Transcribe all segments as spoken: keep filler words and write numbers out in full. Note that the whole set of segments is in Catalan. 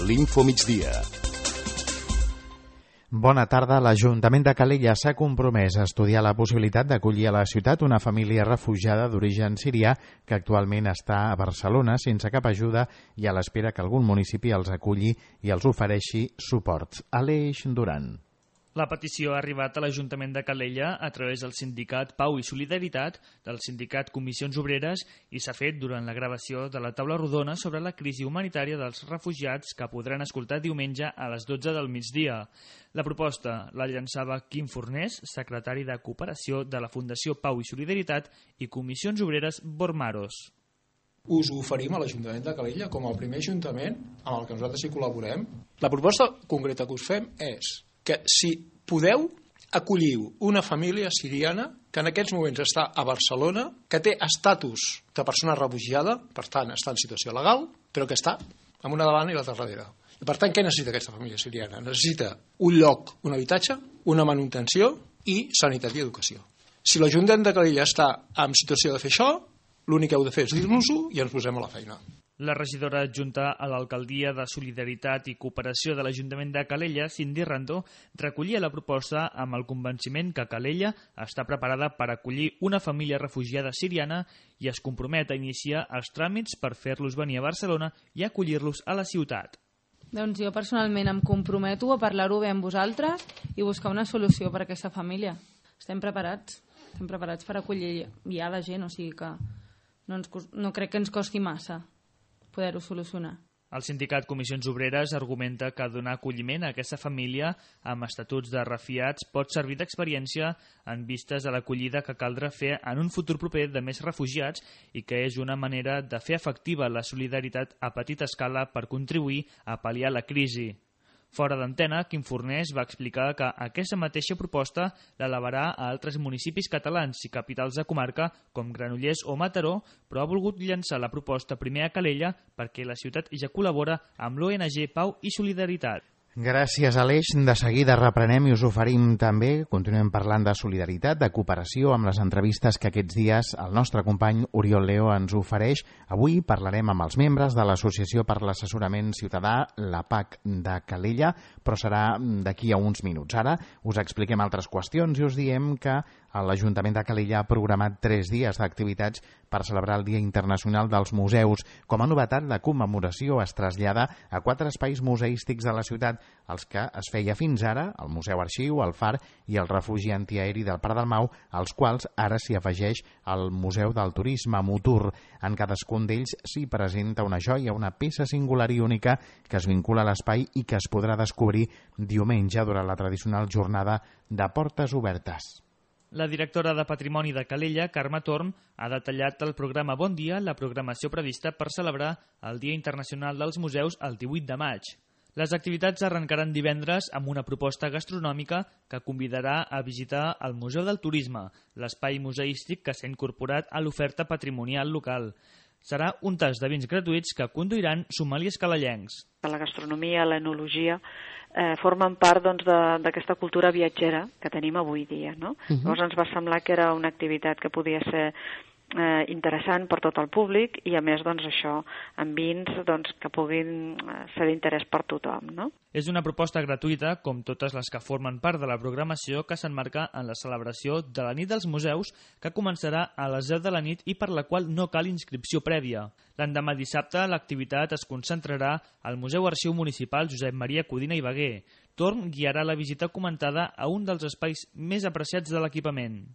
l'Info Migdia. Bona tarda. L'Ajuntament de Calella s'ha compromès a estudiar la possibilitat d'acollir a la ciutat una família refugiada d'origen sirià que actualment està a Barcelona sense cap ajuda i a l'espera que algun municipi els aculli i els ofereixi suports. Aleix Duran. La petició ha arribat a l'Ajuntament de Calella a través del sindicat Pau i Solidaritat, del sindicat Comissions Obreres i s'ha fet durant la gravació de la taula rodona sobre la crisi humanitària dels refugiats que podran escoltar diumenge a les dotze del migdia. La proposta la llançava Quim Fornés, secretari de Cooperació de la Fundació Pau i Solidaritat i Comissions Obreres Bormaros. Us ho oferim a l'Ajuntament de Calella com el primer ajuntament amb el que nosaltres hi col·laborem. La proposta concreta que us fem és que si podeu, acolliu una família siriana que en aquests moments està a Barcelona, que té estatus de persona refugiada, per tant està en situació legal, però que està amb una davant i l'altra darrere. I per tant, què necessita aquesta família siriana? Necessita un lloc, un habitatge, una manutenció i sanitat i educació. Si l'Ajuntament de Calella està en situació de fer això, l'únic que heu de fer és dir-nos-ho i ens posem a la feina. La regidora adjunta a l'Alcaldia de Solidaritat i Cooperació de l'Ajuntament de Calella, Cindy Randó, recollia la proposta amb el convenciment que Calella està preparada per acollir una família refugiada siriana i es compromet a iniciar els tràmits per fer-los venir a Barcelona i acollir-los a la ciutat. Doncs jo personalment em comprometo a parlar-ho bé amb vosaltres i buscar una solució per a aquesta família. Estem preparats, estem preparats per acollir ja la gent, o sigui que no, ens, no crec que ens costi massa poder-ho solucionar. El sindicat Comissions Obreres argumenta que donar acolliment a aquesta família amb estatuts de refugiats pot servir d'experiència en vistes a l'acollida que caldrà fer en un futur proper de més refugiats i que és una manera de fer efectiva la solidaritat a petita escala per contribuir a pal·liar la crisi. Fora d'antena, Quim Fornés va explicar que aquesta mateixa proposta l'elevarà a altres municipis catalans i capitals de comarca com Granollers o Mataró, però ha volgut llançar la proposta primer a Calella perquè la ciutat ja col·labora amb l'O N G Pau i Solidaritat. Gràcies, Aleix. De seguida reprenem i us oferim també, continuem parlant de solidaritat, de cooperació, amb les entrevistes que aquests dies el nostre company Oriol Leo ens ofereix. Avui parlarem amb els membres de l'Associació per l'Assessorament Ciutadà, la P A C de Calella, però serà d'aquí a uns minuts. Ara us expliquem altres qüestions i us diem que l'Ajuntament de Calella ha programat tres dies d'activitats per celebrar el Dia Internacional dels Museus. Com a novetat, la commemoració es trasllada a quatre espais museístics de la ciutat, els que es feia fins ara, el Museu Arxiu, el Far i el Refugi Antiaeri del Prat del Mau, als quals ara s'hi afegeix el Museu del Turisme Mutur. En cadascun d'ells s'hi presenta una joia, una peça singular i única que es vincula a l'espai i que es podrà descobrir diumenge durant la tradicional jornada de portes obertes. La directora de Patrimoni de Calella, Carme Torm, ha detallat el programa Bon Dia, la programació prevista per celebrar el Dia Internacional dels Museus el divuit de maig. Les activitats arrencaran divendres amb una proposta gastronòmica que convidarà a visitar el Museu del Turisme, l'espai museístic que s'ha incorporat a l'oferta patrimonial local. Serà un tast de vins gratuïts que conduiran sommeliers calellencs. La gastronomia, l'enologia, eh, formen part doncs, d'aquesta cultura viatgera que tenim avui dia. No? Uh-huh. Llavors ens va semblar que era una activitat que podia ser eh, interessant per tot el públic i a més doncs, això amb vins doncs, que puguin ser d'interès per tothom. No? És una proposta gratuïta, com totes les que formen part de la programació, que s'emmarca en la celebració de la Nit dels Museus, que començarà a les deu de la nit i per la qual no cal inscripció prèvia. L'endemà dissabte l'activitat es concentrarà al Museu Arxiu Municipal Josep Maria Codina i Baguer. Torn guiarà la visita comentada a un dels espais més apreciats de l'equipament.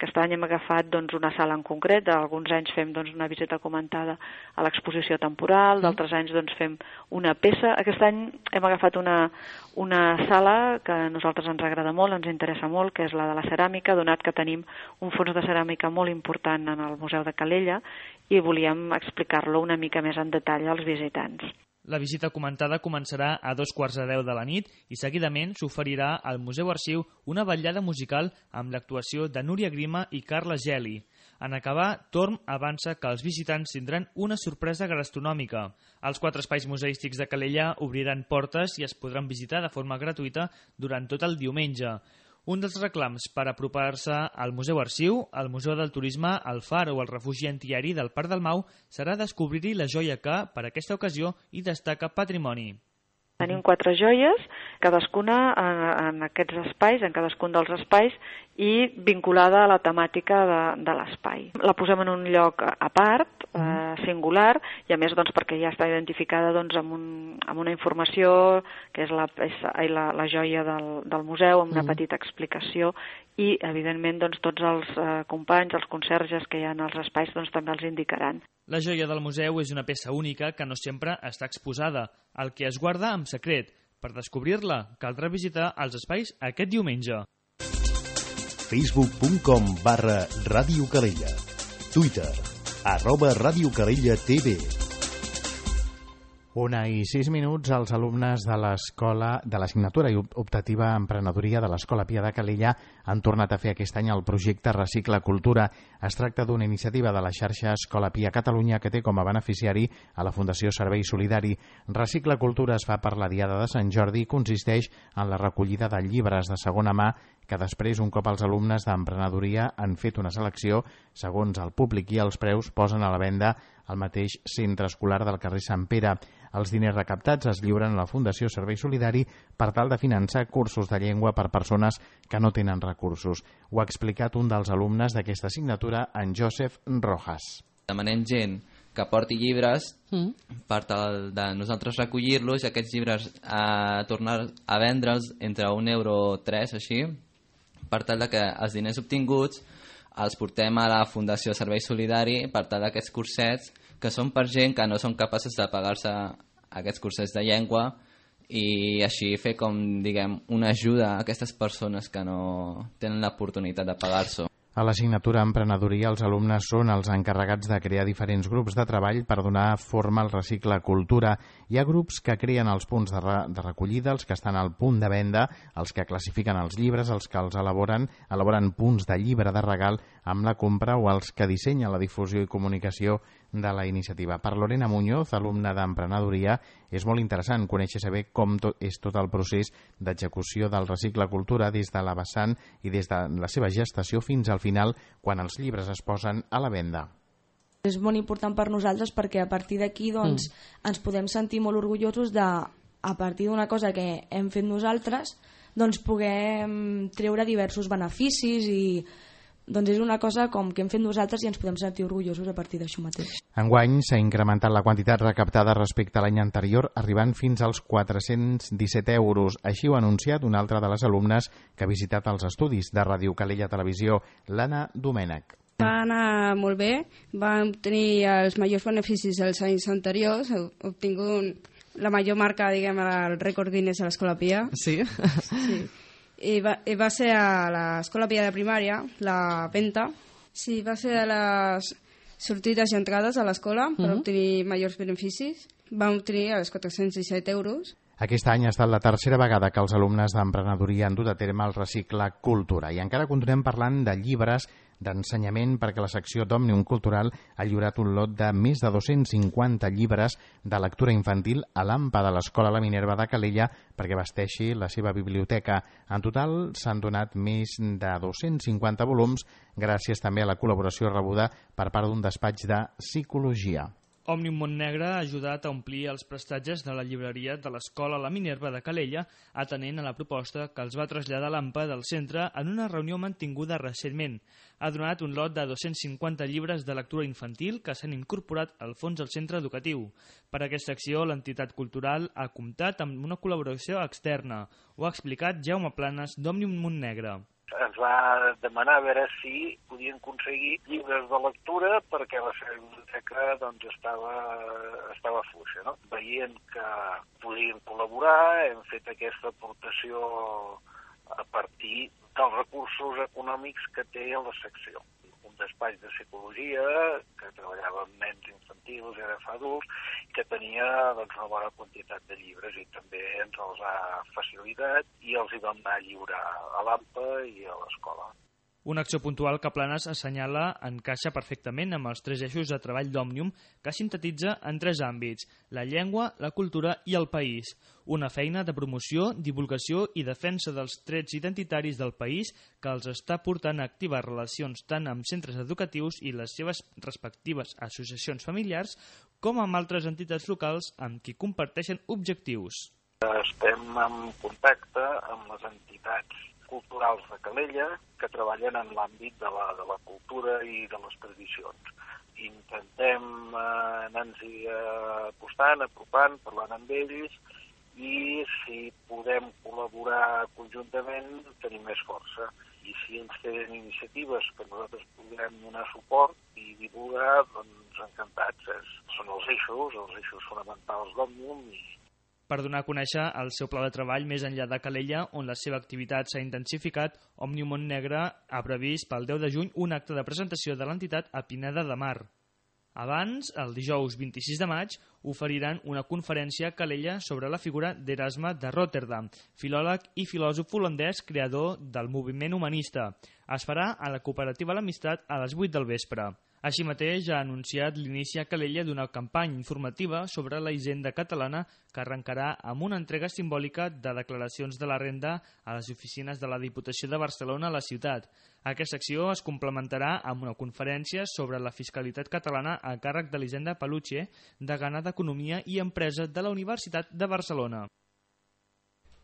Aquest any hem agafat doncs, una sala en concret, alguns anys fem doncs, una visita comentada a l'exposició temporal, d'altres anys doncs, fem una peça. Aquest any hem agafat una, una sala que a nosaltres ens agrada molt, ens interessa molt, que és la de la ceràmica, donat que tenim un fons de ceràmica molt important en el Museu de Calella i volíem explicar-lo una mica més en detall als visitants. La visita comentada començarà a dos quarts de deu de la nit i seguidament s'oferirà al Museu Arxiu una vetllada musical amb l'actuació de Núria Grima i Carla Geli. En acabar, Torm avança que els visitants tindran una sorpresa gastronòmica. Els quatre espais museístics de Calella obriran portes i es podran visitar de forma gratuïta durant tot el diumenge. Un dels reclams per apropar-se al Museu Arxiu, al Museu del Turisme, al Far o al Refugi Antiaeri del Parc del Mau serà descobrir-hi la joia que, per aquesta ocasió, hi destaca patrimoni. Tenim quatre joies, cadascuna en, en aquests espais, en cadascun dels espais, i vinculada a la temàtica de, de l'espai. La posem en un lloc a part, eh, singular, i a més doncs, perquè ja està identificada doncs, amb, un, amb una informació que és la, és la, la joia del, del museu, amb una petita explicació, i evidentment doncs, tots els eh, companys, els conserges que hi ha als espais doncs, també els indicaran. La joia del museu és una peça única que no sempre està exposada, el que es guarda en secret. Per descobrir-la, caldrà visitar els espais aquest diumenge. facebook punt com barra Ràdio Calella. Twitter, arroba Ràdio Calella T V. Una i sis minuts, els alumnes de l'escola de l'assignatura i optativa Emprenedoria de l'Escola Pia de Calella han tornat a fer aquest any el projecte Recicla Cultura. Es tracta d'una iniciativa de la xarxa Escola Pia Catalunya que té com a beneficiari a la Fundació Servei Solidari. Recicla Cultura es fa per la Diada de Sant Jordi i consisteix en la recollida de llibres de segona mà que després, un cop els alumnes d'emprenedoria han fet una selecció, segons el públic i els preus, posen a la venda al mateix centre escolar del carrer Sant Pere. Els diners recaptats es lliuren a la Fundació Servei Solidari per tal de finançar cursos de llengua per persones que no tenen recursos. Ho ha explicat un dels alumnes d'aquesta assignatura, en Josep Rojas. Demanem gent que porti llibres mm. per tal de nosaltres recollir-los i aquests llibres a tornar a vendre'ls entre un euro o tres, així, per tal de que els diners obtinguts els portem a la Fundació Servei Solidari per tal d'aquests cursets que són per gent que no són capaços de pagar-se aquests cursets de llengua i així fer com, diguem, una ajuda a aquestes persones que no tenen l'oportunitat de pagar-s'ho. A l'assignatura Emprenedoria, els alumnes són els encarregats de crear diferents grups de treball per donar forma al Recicla Cultura. Hi ha grups que creen els punts de, re de recollida, els que estan al punt de venda, els que classifiquen els llibres, els que els elaboren, elaboren punts de llibre de regal amb la compra o els que dissenyen la difusió i comunicació de la iniciativa. Per Lorena Muñoz, alumna d'Emprenedoria, és molt interessant conèixer saber com tot, és tot el procés d'execució del Recicla Cultura des de la vessant i des de la seva gestació fins al final, quan els llibres es posen a la venda. És molt important per nosaltres perquè a partir d'aquí doncs, mm. ens podem sentir molt orgullosos de, a partir d'una cosa que hem fet nosaltres, doncs puguem treure diversos beneficis i doncs és una cosa com que hem fet nosaltres i ens podem sentir orgullosos a partir d'això mateix. Enguany s'ha incrementat la quantitat recaptada respecte a l'any anterior, arribant fins als quatre-cents disset euros. Així ho ha anunciat una altra de les alumnes que ha visitat els estudis de Ràdio Calella Televisió, l'Anna Domènech. Va anar molt bé, vam obtenir els majors beneficis dels anys anteriors, obtingut la major marca, diguem, el rècord Guinness a l'Escola Pia. Sí? Sí. I va, i va ser a l'Escola Pia de Primària, la Penta. Sí, va ser a les sortides i entrades a l'escola per uh-huh. obtenir majors beneficis. Vam obtenir els quatre-cents disset euros. Aquest any ha estat la tercera vegada que els alumnes d'emprenedoria han dut a terme el Recicla Cultura. I encara continuem parlant de llibres d'ensenyament perquè la secció d'Òmnium Cultural ha lliurat un lot de més de dos-cents cinquanta llibres de lectura infantil a l'A M P A de l'Escola La Minerva de Calella perquè vesteixi la seva biblioteca. En total s'han donat més de dos-cents cinquanta volums gràcies també a la col·laboració rebuda per part d'un despatx de psicologia. Òmnium Montnegre ha ajudat a omplir els prestatges de la llibreria de l'Escola La Minerva de Calella, atenent a la proposta que els va traslladar l'A M P A del centre en una reunió mantinguda recentment. Ha donat un lot de dos-cents cinquanta llibres de lectura infantil que s'han incorporat al fons del centre educatiu. Per aquesta acció, l'entitat cultural ha comptat amb una col·laboració externa. Ho ha explicat Jaume Planes d'Òmnium Montnegre. Ens va demanar a veure si podien aconseguir llibres de lectura perquè la seva biblioteca doncs, estava, estava fluixa. No? Veient que podien col·laborar, hem fet aquesta aportació a partir dels recursos econòmics que té la secció. Un despatx de psicologia que treballava amb nens infantils i ara fa adults, que tenia doncs, una bona quantitat de llibres i també ens els ha facilitat i els hi vam anar a lliurar a l'A M P A i a l'escola. Una acció puntual que Planes assenyala encaixa perfectament amb els tres eixos de treball d'Òmnium que sintetitza en tres àmbits: la llengua, la cultura i el país. Una feina de promoció, divulgació i defensa dels trets identitaris del país que els està portant a activar relacions tant amb centres educatius i les seves respectives associacions familiars com amb altres entitats locals amb qui comparteixen objectius. Estem en contacte amb les entitats culturals de Calella que treballen en l'àmbit de la, de la cultura i de les tradicions. Intentem eh, anar-nos-hi acostant, apropant, parlant amb ells, i si podem col·laborar conjuntament tenim més força. I si ells tenen iniciatives que nosaltres podrem donar suport i divulgar, doncs encantats. És, són els eixos, els eixos fonamentals d'Òmnium. I... Per donar a conèixer el seu pla de treball més enllà de Calella, on la seva activitat s'ha intensificat, Òmnium Montnegre ha previst pel deu de juny un acte de presentació de l'entitat a Pineda de Mar. Abans, el dijous vint-i-sis de maig, oferiran una conferència a Calella sobre la figura d'Erasme de Rotterdam, filòleg i filòsof holandès creador del moviment humanista. Es farà a la cooperativa L'Amistat a les vuit del vespre. Així mateix ha anunciat l'inici a Calella d'una campanya informativa sobre la hisenda catalana que arrencarà amb una entrega simbòlica de declaracions de la renda a les oficines de la Diputació de Barcelona a la ciutat. Aquesta acció es complementarà amb una conferència sobre la fiscalitat catalana a càrrec de l'Hisenda Paluche, degana d'Economia i Empresa de la Universitat de Barcelona.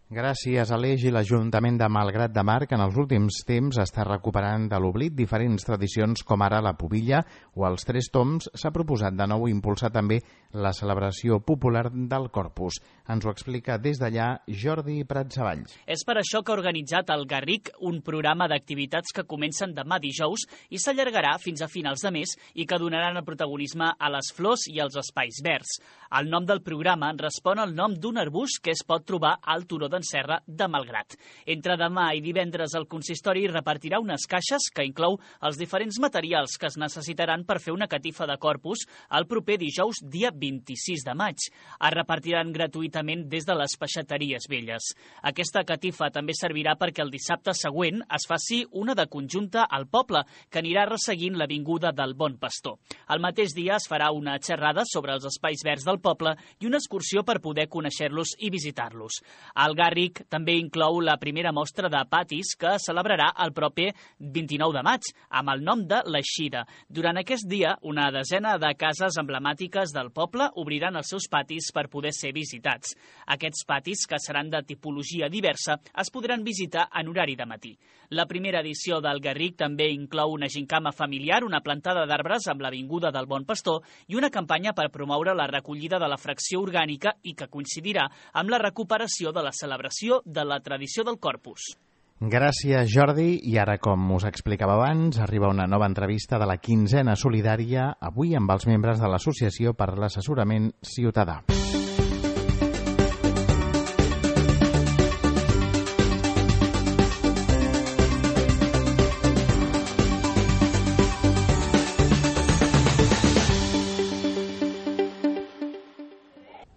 Gràcies a l'Eix i l'Ajuntament de Malgrat de Mar, que en els últims temps està recuperant de l'oblit diferents tradicions com ara la pubilla o els tres toms, s'ha proposat de nou impulsar també la celebració popular del Corpus. Ens ho explica des d'allà Jordi Pratsavalls. És per això que ha organitzat el Garric un programa d'activitats que comencen demà dijous i s'allargarà fins a finals de mes i que donaran el protagonisme a les flors i als espais verds. El nom del programa respon al nom d'un arbust que es pot trobar al turó d'en Serra de Malgrat. Entre demà i divendres el consistori repartirà unes caixes que inclou els diferents materials que es necessitaran per fer una catifa de Corpus el proper dijous dia vint-i-sis de maig. Es repartiran gratuïtament des de les peixateries velles. Aquesta catifa també servirà perquè el dissabte següent es faci una de conjunta al poble que anirà resseguint l'avinguda del Bon Pastor. El mateix dia es farà una xerrada sobre els espais verds del poble i una excursió per poder conèixer-los i visitar-los. El Garric també inclou la primera mostra de patis que es celebrarà el proper vint-i-nou de maig amb el nom de l'Eixida. Durant aquest dia, una desena de cases emblemàtiques del poble obriran els seus patis per poder ser visitats. Aquests patis, que seran de tipologia diversa, es podran visitar en horari de matí. La primera edició del Garric també inclou una gincama familiar, una plantada d'arbres amb l'avinguda del Bon Pastor i una campanya per promoure la recollida de la fracció orgànica i que coincidirà amb la recuperació de la celebració de la tradició del Corpus. Gràcies, Jordi. I ara, com us explicava abans, arriba una nova entrevista de la quinzena solidària, avui amb els membres de l'Associació per l'Assessorament Ciutadà.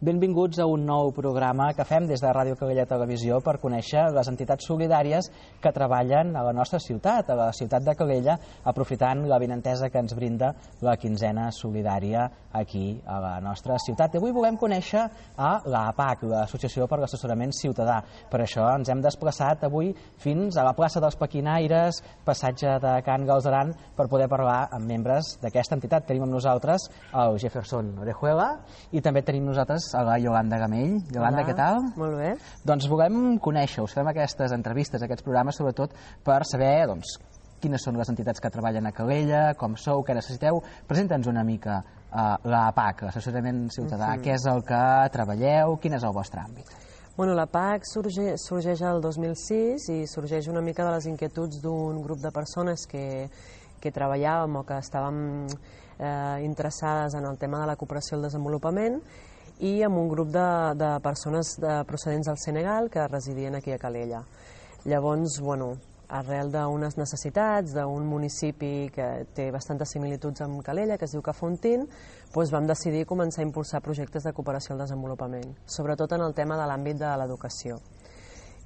Benvinguts a un nou programa que fem des de Ràdio Calella Televisió per conèixer les entitats solidàries que treballen a la nostra ciutat, a la ciutat de Calella, aprofitant la benentesa que ens brinda la quinzena solidària aquí a la nostra ciutat. I avui volem conèixer a l'A P A C, l'Associació per l'Assessorament Ciutadà. Per això ens hem desplaçat avui fins a la plaça dels Paquinaires, passatge de Can Galzeran, per poder parlar amb membres d'aquesta entitat. Tenim amb nosaltres el Jefferson Orejuela i també tenim nosaltres a la Yolanda Gamell. Yolanda, què tal? Molt bé. Doncs volem conèixer-us, fem aquestes entrevistes, aquests programes, sobretot per saber doncs, quines són les entitats que treballen a Calella, com sou, què necessiteu. Presenta'ns una mica uh, l'A P A C, l'Assessorament Ciutadà. Uh-huh. Què és el que treballeu? Quin és el vostre àmbit? Bueno, l'A P A C sorge, sorgeix el dos mil sis i sorgeix una mica de les inquietuds d'un grup de persones que, que treballàvem o que estàvem eh, interessades en el tema de la cooperació i el desenvolupament, i amb un grup de, de persones de, procedents del Senegal que residien aquí a Calella. Llavors, bueno, arrel d'unes necessitats d'un municipi que té bastantes similituds amb Calella, que es diu Cafontín, doncs vam decidir començar a impulsar projectes de cooperació al desenvolupament, sobretot en el tema de l'àmbit de l'educació.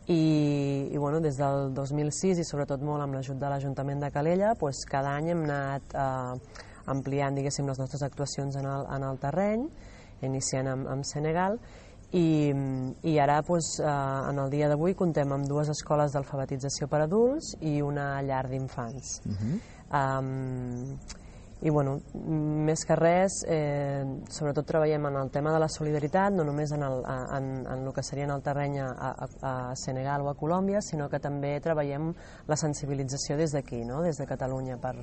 I, i bueno, des del dos mil sis i sobretot molt amb l'ajut de l'Ajuntament de Calella, doncs cada any hem anat eh, ampliant, diguéssim, les nostres actuacions en el, en el terreny, iniciant amb, amb Senegal, i, i ara doncs, eh, en el dia d'avui contem amb dues escoles d'alfabetització per adults i una llar d'infants. Uh-huh. um, i bueno, més que res, eh, sobretot treballem en el tema de la solidaritat, no només en el, en, en el que seria en el terreny a, a, a Senegal o a Colòmbia, sinó que també treballem la sensibilització des d'aquí, no? Des de Catalunya, per,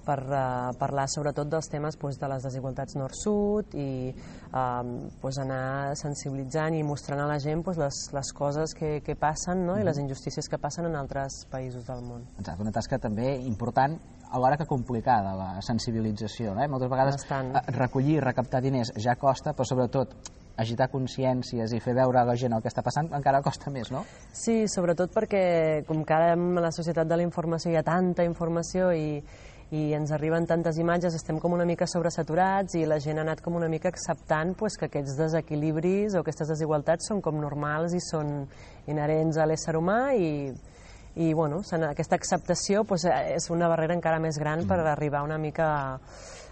per uh, parlar sobretot dels temes pues, de les desigualtats nord-sud i uh, pues, anar sensibilitzant i mostrant a la gent pues, les, les coses que, que passen, no? I les injustícies que passen en altres països del món. Exacte, una tasca també important, alhora que complicada, la sensibilització. Eh? Moltes vegades Bastant. recollir, recaptar diners ja costa, però sobretot agitar consciències i fer veure a la gent el que està passant encara costa més, no? Sí, sobretot perquè com que ara en la societat de la informació hi ha tanta informació i, i ens arriben tantes imatges, estem com una mica sobresaturats i la gent ha anat com una mica acceptant pues, que aquests desequilibris o aquestes desigualtats són com normals i són inherents a l'ésser humà i i bueno, aquesta acceptació pues, és una barrera encara més gran per arribar una mica a,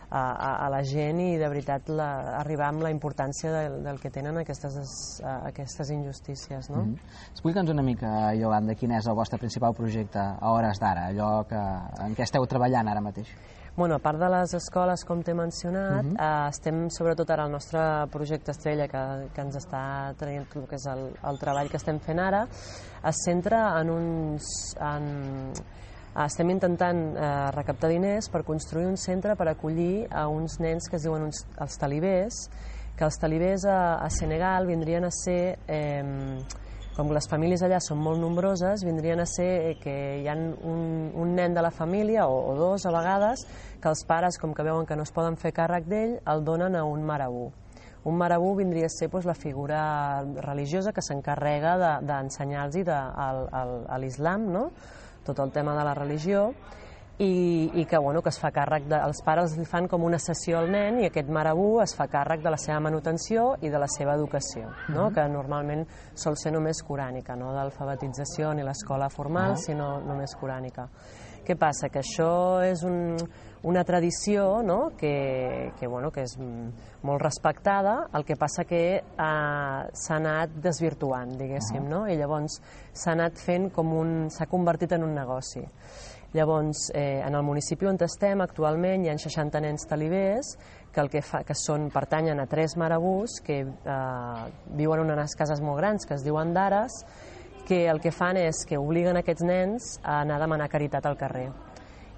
a, a la gent i de veritat la, arribar amb la importància del, del que tenen aquestes, aquestes injustícies, no? Mm-hmm. Explica'ns una mica, Iolanda, quin és el vostre principal projecte a hores d'ara, allò que, en què esteu treballant ara mateix? Bueno, a part de les escoles, com t'he mencionat, uh-huh. eh, estem sobretot ara al nostre projecte estrella que, que ens està traient el que és el, el treball que estem fent ara, es centra en uns... En, estem intentant eh, recaptar diners per construir un centre per acollir a uns nens que es diuen uns, els talibers, que els talibers a, a Senegal vindrien a ser... Eh, com les famílies allà són molt nombroses, vindrien a ser que hi ha un, un nen de la família, o, o dos a vegades, que els pares, com que veuen que no es poden fer càrrec d'ell, el donen a un marabú. Un marabú vindria a ser doncs, la figura religiosa que s'encarrega d'ensenyar-los de, a l'islam, no? Tot el tema de la religió, i, i que, bueno, que es fa càrrec de, els pares li fan com una sessió al nen i aquest marabú es fa càrrec de la seva manutenció i de la seva educació, no? Uh-huh. Que normalment sol ser només corànica, no d'alfabetització ni l'escola formal, uh-huh. sinó només corànica. Què passa? Que això és un, una tradició, no? que, que, bueno, que és molt respectada, el que passa que eh, s'ha anat desvirtuant, diguéssim, uh-huh. no? I llavors s'ha anat fent com un... s'ha convertit en un negoci. Llavors, eh, en el municipi on estem actualment hi ha seixanta nens talibers que, el que, fa, que són, pertanyen a tres marabús que eh, viuen en unes cases molt grans que es diuen dares, que el que fan és que obliguen aquests nens a anar a demanar caritat al carrer.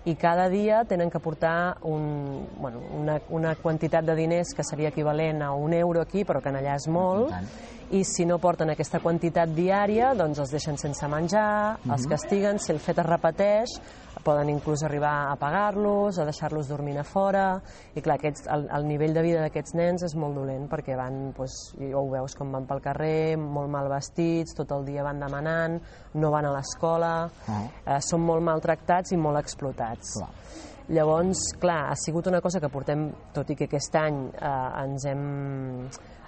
I cada dia tenen que portar un, bueno, una, una quantitat de diners que seria equivalent a un euro aquí, però que en allà és molt, i si no porten aquesta quantitat diària, doncs els deixen sense menjar, uh-huh. els castiguen, si el fet es repeteix, poden inclús arribar a pagar-los, a deixar-los dormint a fora, i clar, aquests, el, el nivell de vida d'aquests nens és molt dolent, perquè van, doncs, ho veus com van pel carrer, molt mal vestits, tot el dia van demanant, no van a l'escola, uh-huh. eh, són molt maltractats i molt explotats. Clar. Llavors, clar, ha sigut una cosa que portem, tot i que aquest any eh, ens hem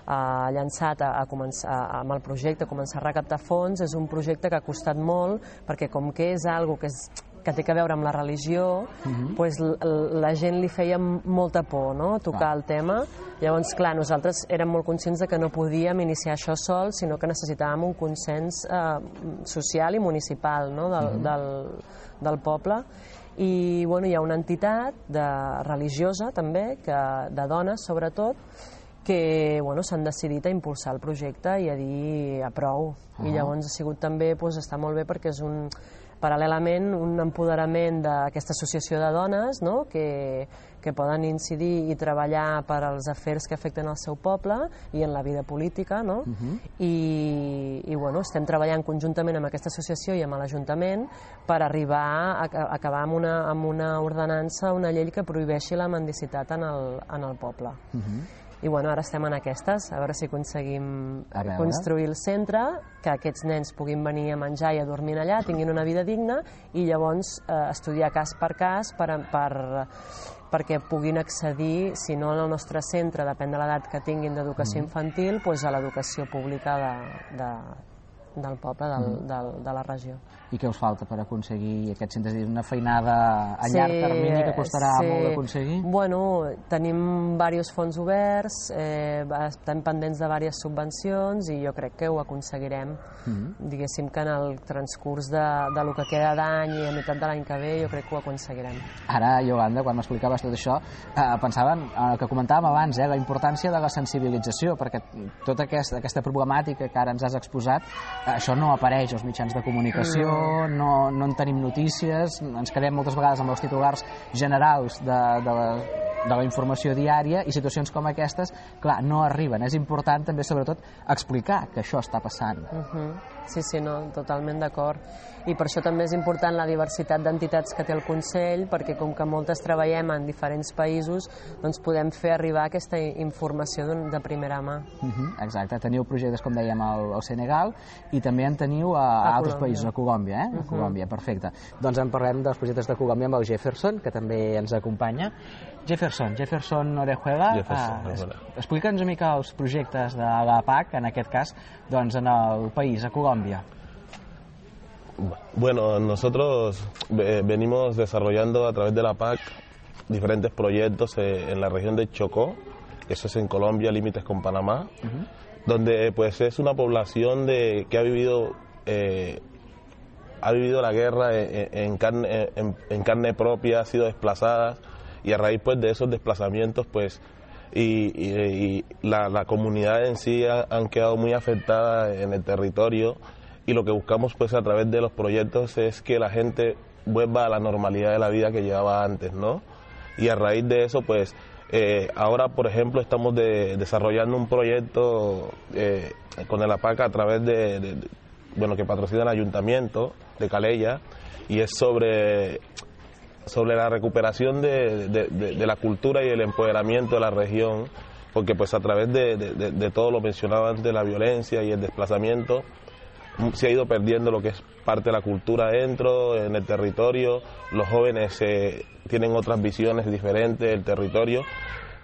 Uh, llançat a, a començar, a, amb el projecte, a començar a recaptar fons, és un projecte que ha costat molt, perquè com que és algo que, és, que té a veure amb la religió, uh-huh. pues, la gent li feia molta por, no?, tocar ah. el tema. Llavors, clar, nosaltres érem molt conscients de que no podíem iniciar això sol, sinó que necessitàvem un consens uh, social i municipal, no?, del, uh-huh. del, del poble. I bueno, hi ha una entitat de, religiosa també, que, de dones sobretot, que bueno, s'han decidit a impulsar el projecte i a dir a prou. Uh-huh. I llavors ha sigut també, doncs, està molt bé perquè és un, paral·lelament un empoderament d'aquesta associació de dones, no?, que, que poden incidir i treballar per als afers que afecten el seu poble i en la vida política, no? Uh-huh. I, i bueno, estem treballant conjuntament amb aquesta associació i amb l'Ajuntament per arribar a, a acabar amb una, amb una ordenança, una llei que prohibeixi la mendicitat en el, en el poble. Uh-huh. I bueno, ara estem en aquestes, a veure si aconseguim construir el centre, que aquests nens puguin venir a menjar i a dormir allà, tinguin una vida digna, i llavors eh, estudiar cas per cas per, per, perquè puguin accedir, si no en el nostre centre, depèn de l'edat que tinguin d'educació infantil, doncs a l'educació pública de, de, del poble, del, mm. del, de la regió. I què us falta per aconseguir aquest centre? És dir, una feinada a sí, llarg termini que costarà sí. molt d'aconseguir? Bueno, tenim diversos fons oberts, eh, estem pendents de diverses subvencions i jo crec que ho aconseguirem. Mm. Diguéssim que en el transcurs de, de lo que queda d'any i a meitat de l'any que ve jo crec que ho aconseguirem. Ara, Iolanda, quan m'explicaves tot això, eh, pensava en el que comentàvem abans, eh, la importància de la sensibilització, perquè tota aquesta, aquesta problemàtica que ara ens has exposat, eh, això no apareix als mitjans de comunicació, mm. no, no en tenim notícies, ens quedem moltes vegades amb els titulars generals de, de, la, de la informació diària i situacions com aquestes, clar, no arriben. És important també, sobretot, explicar que això està passant. Uh-huh. Sí, sí, no, totalment d'acord. I per això també és important la diversitat d'entitats que té el Consell, perquè com que moltes treballem en diferents països, doncs podem fer arribar aquesta informació de primera mà. Uh-huh, exacte. Teniu projectes, com dèiem, al, al Senegal i també en teniu a, a, a altres Colòmbia. països, a Colòmbia, eh? Uh-huh. A Colòmbia, perfecte. Doncs en parlem dels projectes de Colòmbia amb el Jefferson, que també ens acompanya. Jefferson, Jefferson Orejuela, Jefferson, eh, explica'ns una mica els projectes de la P A C, en aquest cas, doncs en el país, a Colòmbia. Bueno, nosotros venimos desarrollando a través de la P A C diferentes proyectos en la región de Chocó, eso es en Colombia, límites con Panamá, uh-huh. donde pues es una población de, que ha vivido eh, ha vivido la guerra en, en, carne, en, en carne propia, ha sido desplazada y a raíz pues de esos desplazamientos pues y, y, y la, la comunidad en sí ha, han quedado muy afectadas en el territorio. Y lo que buscamos pues a través de los proyectos es que la gente vuelva a la normalidad de la vida que llevaba antes, ¿no? Y a raíz de eso pues eh, ahora por ejemplo estamos de, desarrollando un proyecto eh, con el A P A C a través de, de, de, bueno, que patrocina el Ayuntamiento de Calella y es sobre, sobre la recuperación de, de, de, de la cultura y el empoderamiento de la región, porque pues a través de, de, de, de todo lo mencionado antes, de la violencia y el desplazamiento, se ha ido perdiendo lo que es parte de la cultura dentro, en el territorio. Los jóvenes eh, tienen otras visiones diferentes del territorio.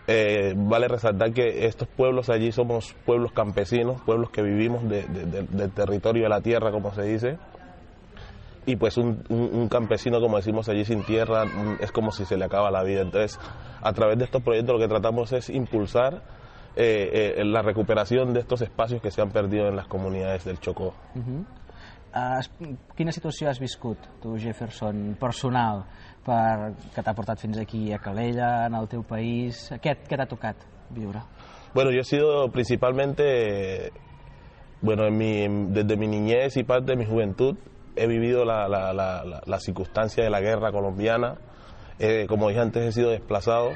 Eh, vale resaltar que estos pueblos allí somos pueblos campesinos, pueblos que vivimos de, de, de, del territorio de la tierra, como se dice. Y pues un, un, un campesino, como decimos allí, sin tierra, es como si se le acaba la vida. Entonces, a través de estos proyectos lo que tratamos es impulsar Eh, eh, la recuperación de estos espacios que se han perdido en las comunidades del Chocó. Uh-huh. uh, quina situació has viscut, tu, Jefferson, personal, per, que t'ha portat fins aquí a Calella, en el teu país? Què, què t'ha tocat viure? Bueno, yo he sido principalmente, bueno, en mi, desde mi niñez y parte de mi juventud, he vivido la, la, la, la, la circunstancia de la guerra colombiana. Eh, como dije antes, he sido desplazado.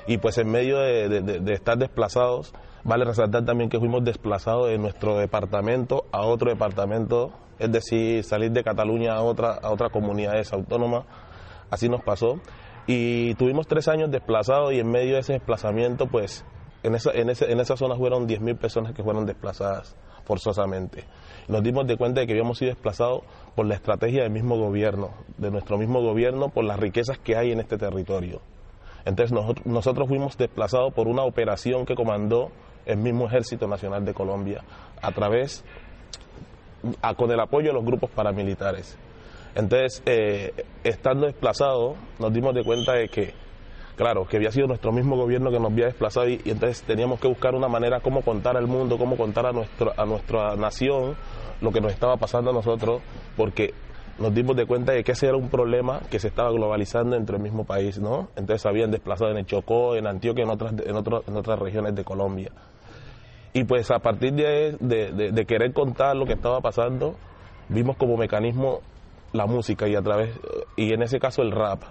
Y pues en medio de, de, de estar desplazados, vale resaltar también que fuimos desplazados de nuestro departamento a otro departamento, es decir, salir de Cataluña a otra, a otra comunidad autónoma, así nos pasó. Y tuvimos tres años desplazados y en medio de ese desplazamiento, pues en esa, en ese, en esa zona fueron diez mil personas que fueron desplazadas forzosamente. Nos dimos de cuenta de que habíamos sido desplazados por la estrategia del mismo gobierno, de nuestro mismo gobierno, por las riquezas que hay en este territorio. Entonces nosotros, nosotros fuimos desplazados por una operación que comandó el mismo Ejército Nacional de Colombia a través, a, con el apoyo de los grupos paramilitares. Entonces, eh, estando desplazados, nos dimos de cuenta de que, claro, que había sido nuestro mismo gobierno que nos había desplazado y, y entonces teníamos que buscar una manera cómo contar al mundo, cómo contar a, nuestro, a nuestra nación lo que nos estaba pasando a nosotros, porque nos dimos de cuenta de que ese era un problema que se estaba globalizando entre el mismo país, ¿no? Entonces habían desplazado en el Chocó, en Antioquia, en otras, en otros, en otras regiones de Colombia. Y pues a partir de, de, de, de querer contar lo que estaba pasando, vimos como mecanismo la música y a través y en ese caso el rap.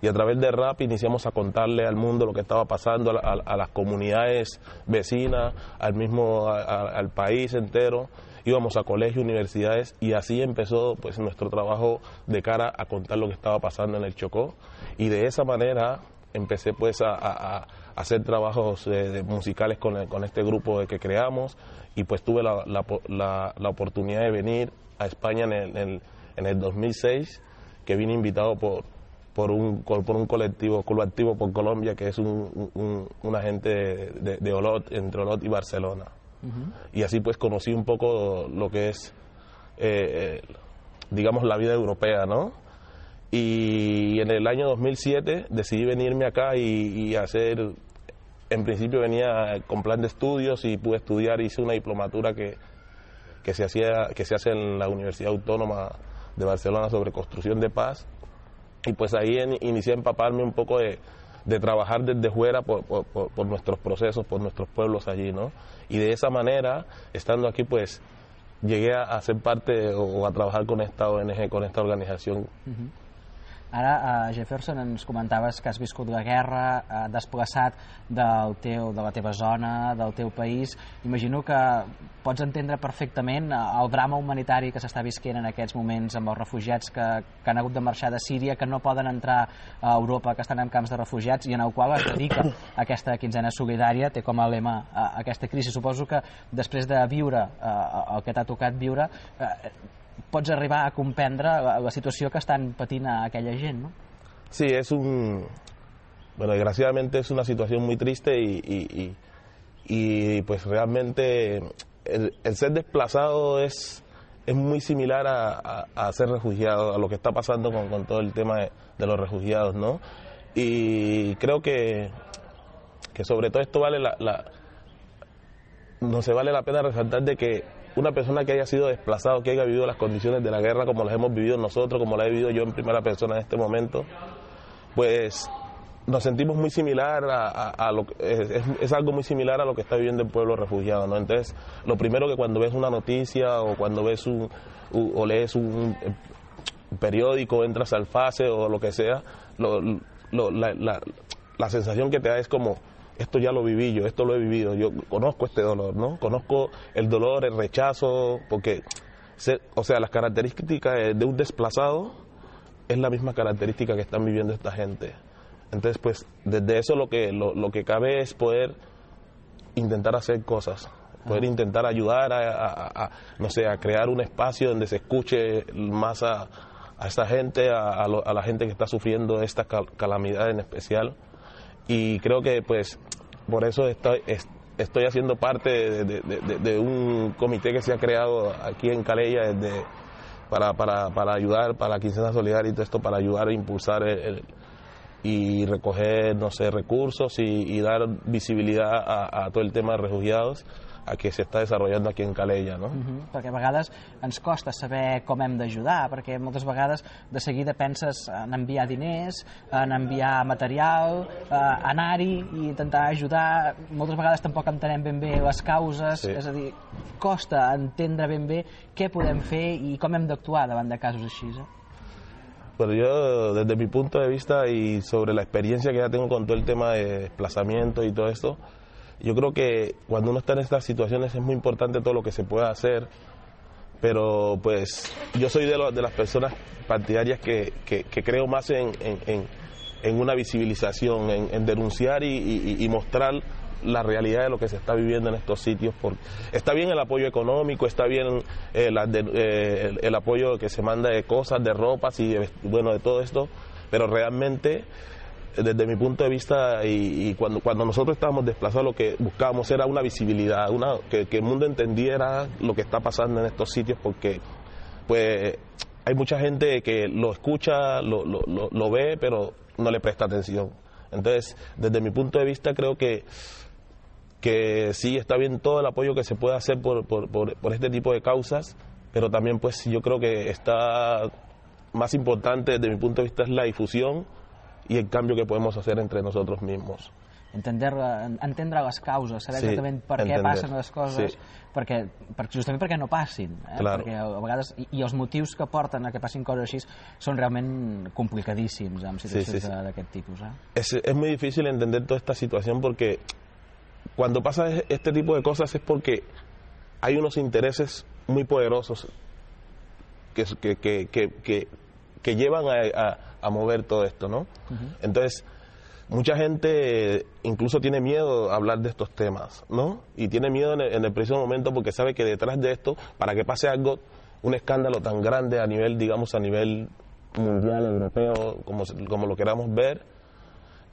Y a través del rap iniciamos a contarle al mundo lo que estaba pasando, a, a, a las comunidades vecinas, al mismo a, a, al país entero. Íbamos a colegios, universidades y así empezó pues nuestro trabajo de cara a contar lo que estaba pasando en el Chocó y de esa manera empecé pues a, a, a hacer trabajos eh, de musicales con, el, con este grupo que creamos y pues tuve la, la, la, la oportunidad de venir a España en el, en el, en el dos mil seis, que vine invitado por, por, un, por un colectivo, colectivo por Colombia, que es un, un, un agente de, de, de Olot, entre Olot y Barcelona. Uh-huh. Y así pues conocí un poco lo que es eh, digamos, la vida europea, ¿no? Y en el año dos mil siete decidí venirme acá y, y hacer, en principio venía con plan de estudios y pude estudiar, hice una diplomatura que, que, se, hacía, que se hace en la Universidad Autónoma de Barcelona sobre construcción de paz, y pues ahí en, inicié a empaparme un poco de, de trabajar desde fuera por, por, por, por nuestros procesos, por nuestros pueblos allí, ¿no? Y de esa manera, estando aquí, pues llegué a, a ser parte o a trabajar con esta O N G, con esta organización. Uh-huh. Ara, uh, Jefferson, ens comentaves que has viscut la guerra, uh, desplaçat del teu, de la teva zona, del teu país. Imagino que pots entendre perfectament el drama humanitari que s'està visquent en aquests moments amb els refugiats que, que han hagut de marxar de Síria, que no poden entrar a Europa, que estan en camps de refugiats, i en el qual es dedica aquesta quinzena solidària, té com a lema uh, aquesta crisi. Suposo que després de viure uh, el que t'ha tocat viure, uh, pots arribar a comprendre la, la situació que estan patint a aquella gent, ¿no? Sí, es un... Bueno, desgraciadamente es una situación muy triste y, y, y, y pues realmente el, el ser desplazado es, es muy similar a, a, a ser refugiado, a lo que está pasando con, con todo el tema de, de los refugiados, ¿no? Y creo que, que sobre todo esto vale la, la... no se vale la pena resaltar de que una persona que haya sido desplazado, que haya vivido las condiciones de la guerra como las hemos vivido nosotros, como las he vivido yo en primera persona en este momento, pues nos sentimos muy similar a, a, a lo que es, es algo muy similar a lo que está viviendo el pueblo refugiado, ¿no? Entonces, lo primero que cuando ves una noticia o cuando ves un o lees un periódico, entras al FACE o lo que sea, lo, lo, la, la, la sensación que te da es como: esto ya lo viví yo, esto lo he vivido, yo conozco este dolor, ¿no? Conozco el dolor, el rechazo, porque, se, o sea, las características de un desplazado es la misma característica que están viviendo esta gente. Entonces, pues, desde eso lo que, lo, lo que cabe es poder intentar hacer cosas, poder intentar ayudar a, a, a, no sé, a crear un espacio donde se escuche más a, a esta gente, a, a, lo, a la gente que está sufriendo esta cal, calamidad en especial. Y creo que pues por eso estoy, estoy haciendo parte de, de, de, de un comité que se ha creado aquí en Calella desde, para, para, para ayudar, para la quincena solidaria y todo esto, para ayudar a impulsar el, el, y recoger, no sé, recursos y, y dar visibilidad a, a todo el tema de refugiados a que se està desenvolupant aquí en Calella, no? Uh-huh. Perquè a vegades ens costa saber com hem d'ajudar, perquè moltes vegades de seguida penses en enviar diners, en enviar material, eh, anar-hi i intentar ajudar. Moltes vegades tampoc entenem ben bé les causes, sí. És a dir, costa entendre ben bé què podem fer i com hem d'actuar davant de casos així, eh? Pero yo, desde mi punto de vista y sobre la experiencia que ya tengo con todo el tema de desplazamiento y todo esto, yo creo que cuando uno está en estas situaciones es muy importante todo lo que se pueda hacer, pero pues yo soy de, lo, de las personas partidarias que, que, que creo más en, en, en, en una visibilización, en, en denunciar y, y, y mostrar la realidad de lo que se está viviendo en estos sitios. Porque está bien el apoyo económico, está bien eh, la, de, eh, el, el apoyo que se manda de cosas, de ropas y de, bueno, de todo esto, pero realmente desde mi punto de vista y, y cuando, cuando nosotros estábamos desplazados lo que buscábamos era una visibilidad, una, que, que el mundo entendiera lo que está pasando en estos sitios, porque pues hay mucha gente que lo escucha, lo, lo, lo, lo ve, pero no le presta atención. Entonces, desde mi punto de vista creo que que sí está bien todo el apoyo que se puede hacer por, por, por, por este tipo de causas, pero también pues yo creo que está más importante desde mi punto de vista es la difusión i el canvi que podem hacer entre nosotros mismos. Entender, entendre les causes, saber sí, exactament per entender. què passen les coses, sí. perquè, per, justament perquè no passin. Eh? Claro. Perquè a vegades, i, i els motius que porten a que passin coses així són realment complicadíssims en situacions sí, sí, sí. d'aquest tipus. Eh? Es, es muy difícil entender toda esta situación porque cuando pasa este tipo de cosas es porque hay unos intereses muy poderosos que, que, que, que, que, que llevan a, a, a mover todo esto, ¿no? Uh-huh. Entonces, mucha gente incluso tiene miedo a hablar de estos temas, ¿no? Y tiene miedo en el, en el preciso momento porque sabe que detrás de esto, para que pase algo, un escándalo tan grande a nivel, digamos, a nivel mundial, europeo, como, como lo queramos ver,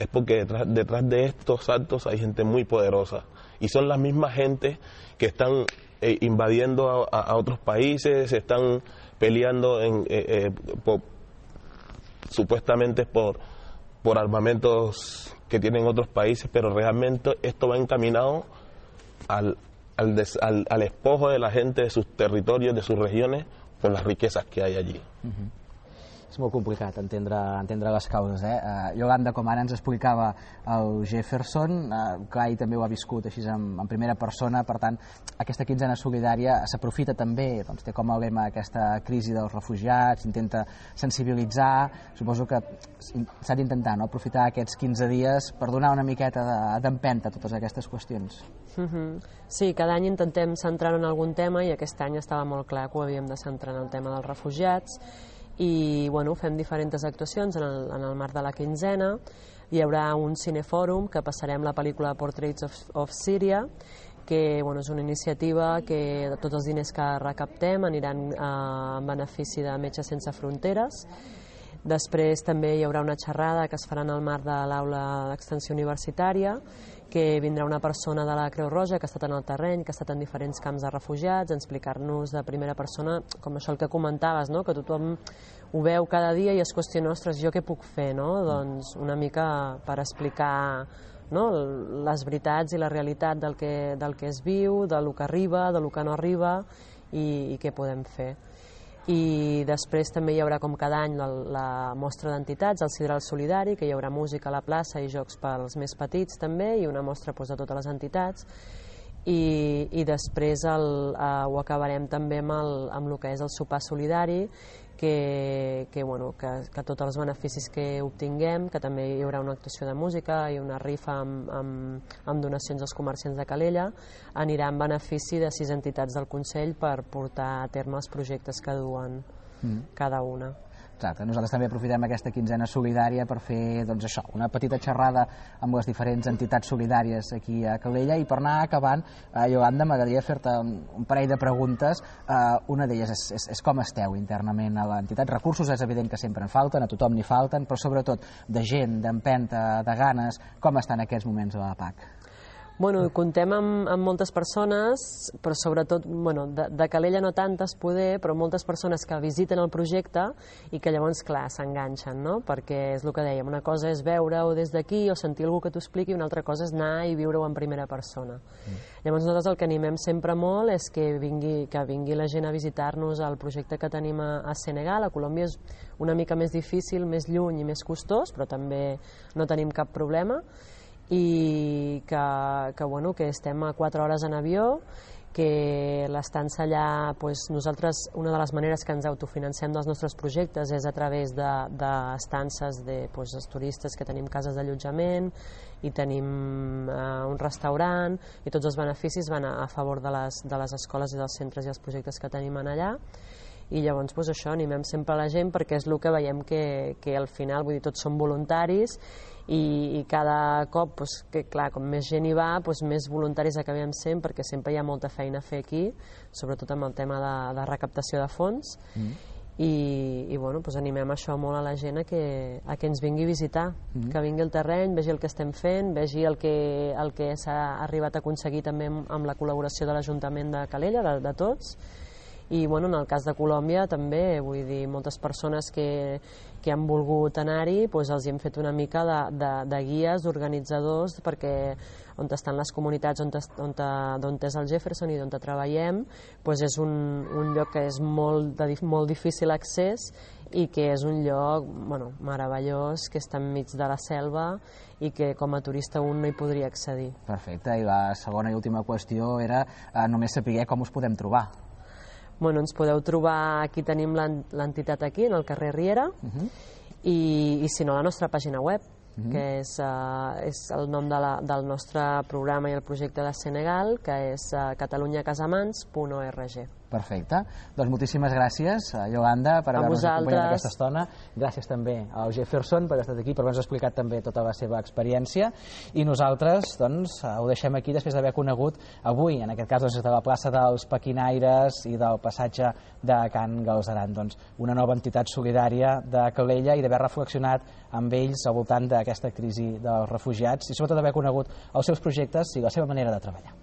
es porque detrás, detrás de estos actos hay gente muy poderosa y son las mismas gente que están eh, invadiendo a, a, a otros países, están peleando en, eh, eh, por, supuestamente por, por armamentos que tienen otros países, pero realmente esto va encaminado al, al, des, al, al despojo de la gente de sus territorios, de sus regiones, por las riquezas que hay allí. Uh-huh. És molt complicat entendre, entendre les causes. Eh? Uh, Yolanda, com ara ens explicava el Jefferson, uh, Clay també ho ha viscut així en, en primera persona, per tant, aquesta quinzena solidària s'aprofita també, doncs, té com a lema aquesta crisi dels refugiats, intenta sensibilitzar, suposo que s'ha d'intentar, no?, aprofitar aquests quinze dies per donar una miqueta d'empenta a totes aquestes qüestions. Uh-huh. Sí, cada any intentem centrar en algun tema i aquest any estava molt clar que ho havíem de centrar en el tema dels refugiats i bueno, fem diferents actuacions en el, en el marc de la quinzena. Hi haurà un cinefòrum que passarem la pel·lícula Portraits of, of Syria, que bueno, és una iniciativa que tots els diners que recaptem aniran eh, en benefici de Metges Sense Fronteres. Després també hi haurà una xerrada que es farà en el marc de l'aula d'extensió universitària, que vindrà una persona de la Creu Roja que ha estat en el terreny, que ha estat en diferents camps de refugiats, a explicar-nos de primera persona, com això el que comentaves, no?, que tothom ho veu cada dia i es qüestiona, ostres, jo què puc fer, no? Doncs una mica per explicar, no?, les veritats i la realitat del que, del que es viu, del que arriba, del que no arriba i, i què podem fer. I després també hi haurà, com cada any, la, la mostra d'entitats, el Sidral Solidari, que hi haurà música a la plaça i jocs pels més petits també, i una mostra doncs, de totes les entitats. I, i després el, eh, ho acabarem també amb el, amb el que és el sopar solidari, que, que, bueno, que, que tots els beneficis que obtinguem, que també hi haurà una actuació de música i una rifa amb, amb, amb donacions als comerciants de Calella, anirà en benefici de sis entitats del Consell per portar a terme els projectes que duen mm. cada una. Exacte. Nosaltres també aprofitem aquesta quinzena solidària per fer, doncs, això, una petita xerrada amb les diferents entitats solidàries aquí a Calella i per anar acabant, eh, Yolanda, m'agradaria fer-te un, un parell de preguntes. Eh, una d'elles és, és, és com esteu internament a l'entitat. Recursos és evident que sempre en falten, a tothom n'hi falten, però sobretot de gent, d'empenta, de ganes, com estan aquests moments a la P A C? Bueno, comptem amb, amb moltes persones, però sobretot, bueno, de, de Calella no tantes poder, però moltes persones que visiten el projecte i que llavors, clar, s'enganxen, no? Perquè és el que dèiem, una cosa és veure-ho des d'aquí o sentir algú que t'ho expliqui, una altra cosa és anar i viure-ho en primera persona. Mm. Llavors nosaltres el que animem sempre molt és que vingui, que vingui la gent a visitar-nos al projecte que tenim a, a Senegal. A Colòmbia és una mica més difícil, més lluny i més costós, però també no tenim cap problema. I que, que, bueno, que estem a quatre hores en avió, que l'estança allà, doncs, nosaltres, una de les maneres que ens autofinancem dels nostres projectes és a través d'estances de, de, doncs, dels turistes, que tenim cases d'allotjament i tenim eh, un restaurant, i tots els beneficis van a, a favor de les, de les escoles i dels centres i els projectes que tenim en allà. I llavors doncs, això, animem sempre la gent perquè és el que veiem que, que al final, vull dir, tots som voluntaris i, i cada cop, doncs, que, clar, com més gent hi va, doncs, més voluntaris acabem sent perquè sempre hi ha molta feina a fer aquí, sobretot amb el tema de, de recaptació de fons. Mm. I, i bueno, doncs animem això molt a la gent a que, a que ens vingui a visitar, mm. que vingui al terreny, vegi el que estem fent, vegi el que, el que s'ha arribat a aconseguir també amb, amb la col·laboració de l'Ajuntament de Calella, de, de tots. I bueno, en el cas de Colòmbia també, vull dir, moltes persones que, que han volgut anar-hi, doncs els hi hem fet una mica de, de, de guies, d'organitzadors, perquè on estan les comunitats, on, on, on és el Jefferson i on treballem, doncs és un, un lloc que és molt, de, molt difícil accés i que és un lloc, bueno, meravellós, que està enmig de la selva i que com a turista un no hi podria accedir. Perfecte, i la segona i última qüestió era eh, només saber com us podem trobar. Bueno, ens podeu trobar, aquí tenim l'entitat aquí, en el carrer Riera, uh-huh. i, i si no, la nostra pàgina web, uh-huh. que és, uh, és el nom de la, del nostre programa i el projecte de Senegal, que és uh, catalunya casamans punt org. Perfecte. Doncs moltíssimes gràcies, Yolanda, per haver-nos acompanyat aquesta estona. Gràcies també al Jefferson per haver estat aquí, per haver-nos explicat també tota la seva experiència. I nosaltres doncs, ho deixem aquí després d'haver conegut avui, en aquest cas, doncs, de la plaça dels Paquinaires i del passatge de Can Galceran. Doncs, una nova entitat solidària de Calella i d'haver reflexionat amb ells al voltant de aquesta crisi dels refugiats i sobretot haver conegut els seus projectes i la seva manera de treballar.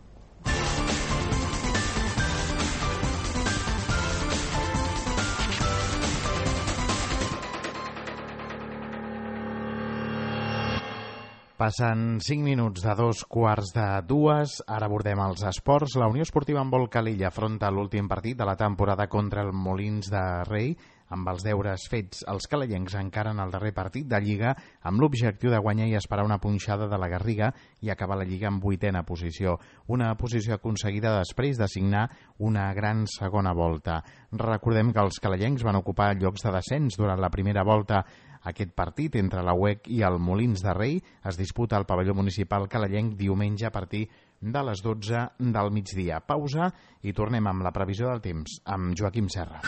Passen cinc minuts de dos quarts de dues. Ara abordem els esports. La Unió Esportiva Handbol Calella afronta l'últim partit de la temporada contra el Molins de Rei. Amb els deures fets, els calellencs encaren el darrer partit de Lliga amb l'objectiu de guanyar i esperar una punxada de la Garriga i acabar la Lliga en vuitena posició. Una posició aconseguida després de signar una gran segona volta. Recordem que els calellencs van ocupar llocs de descens durant la primera volta. Aquest partit entre la U E C i el Molins de Rei es disputa al pavelló municipal calellenc diumenge a partir de les dotze del migdia. Pausa i tornem amb la previsió del temps amb Joaquim Serra.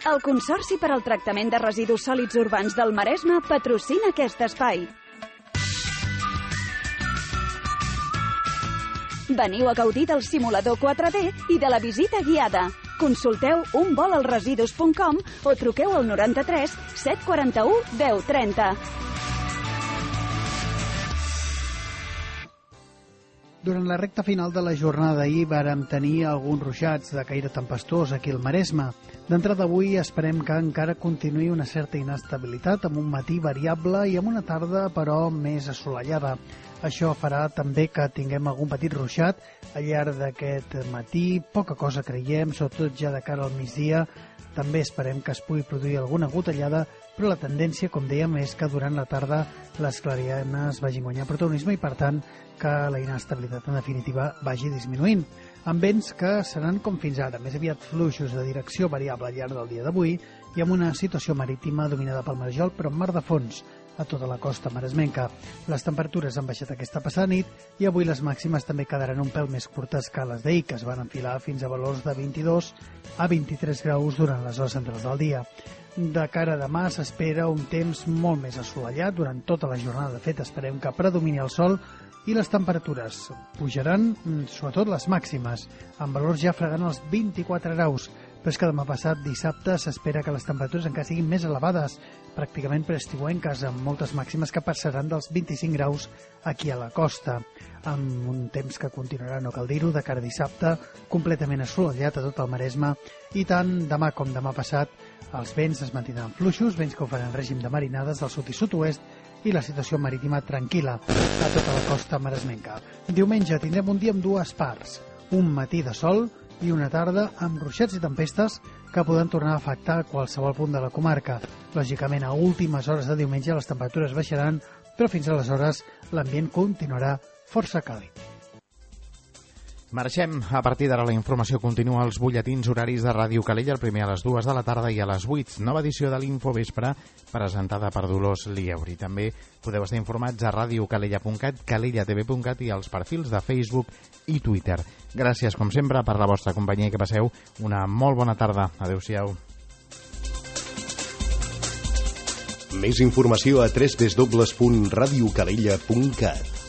El Consorci per al Tractament de Residus Sòlids Urbans del Maresme patrocina aquest espai. Veniu a gaudir del simulador quatre D i de la visita guiada. Consulteu un vol als residus punt com o truqueu al noranta-tres set quaranta-u deu trenta. Durant la recta final de la jornada d'ahir vàrem tenir alguns ruixats de caire tempestós aquí al Maresme. D'entrada d'avui esperem que encara continuï una certa inestabilitat amb un matí variable i amb una tarda però més assolellada. Això farà també que tinguem algun petit ruixat al llarg d'aquest matí, poca cosa creiem, sobretot ja de cara al migdia. També esperem que es pugui produir alguna gotellada, però la tendència, com dèiem, és que durant la tarda les clarianes vagin guanyant protagonisme i, per tant, que la inestabilitat en definitiva vagi disminuint. Amb vents que seran com fins ara, més aviat fluixos de direcció variable al llarg del dia d'avui i amb una situació marítima dominada pel marjol, però amb mar de fons a tota la costa maresmenca. Les temperatures han baixat aquesta passada nit i avui les màximes també quedaran un pèl més curtes que les d'ahir, que es van enfilar fins a valors de vint-i-dos a vint-i-tres graus durant les hores centrals del dia. De cara a demà s'espera un temps molt més assolellat durant tota la jornada. De fet, esperem que predomini el sol i les temperatures pujaran, sobretot les màximes, amb valors ja fregant els vint-i-quatre graus. Però és que demà passat, dissabte, s'espera que les temperatures encara siguin més elevades, pràcticament preestiuenques, amb moltes màximes que passaran dels vint-i-cinc graus aquí a la costa, amb un temps que continuarà, no cal dir-ho, de cara a dissabte, completament assolellat a tot el Maresme, i tant demà com demà passat els vents es mantindran fluixos, vents que ho faran règim de marinades del sud i sud-oest, i la situació marítima tranquil·la a tota la costa maresmenca. Diumenge tindrem un dia amb dues parts, un matí de sol i una tarda amb ruixats i tempestes que poden tornar a afectar qualsevol punt de la comarca. Lògicament, a últimes hores de diumenge les temperatures baixaran, però fins aleshores l'ambient continuarà força càlid. Marxem. A partir d'ara la informació continua als butlletins horaris de Ràdio Calella, el primer a les dues de la tarda i a les vuit. Nova edició de l'Infovespre, presentada per Dolors Lieuri. També podeu estar informats a radiocalella punt cat, calellatv punt cat i als perfils de Facebook i Twitter. Gràcies, com sempre, per la vostra companyia i que passeu una molt bona tarda. Adéu-siau. Més informació a w w w punt radiocalella punt cat.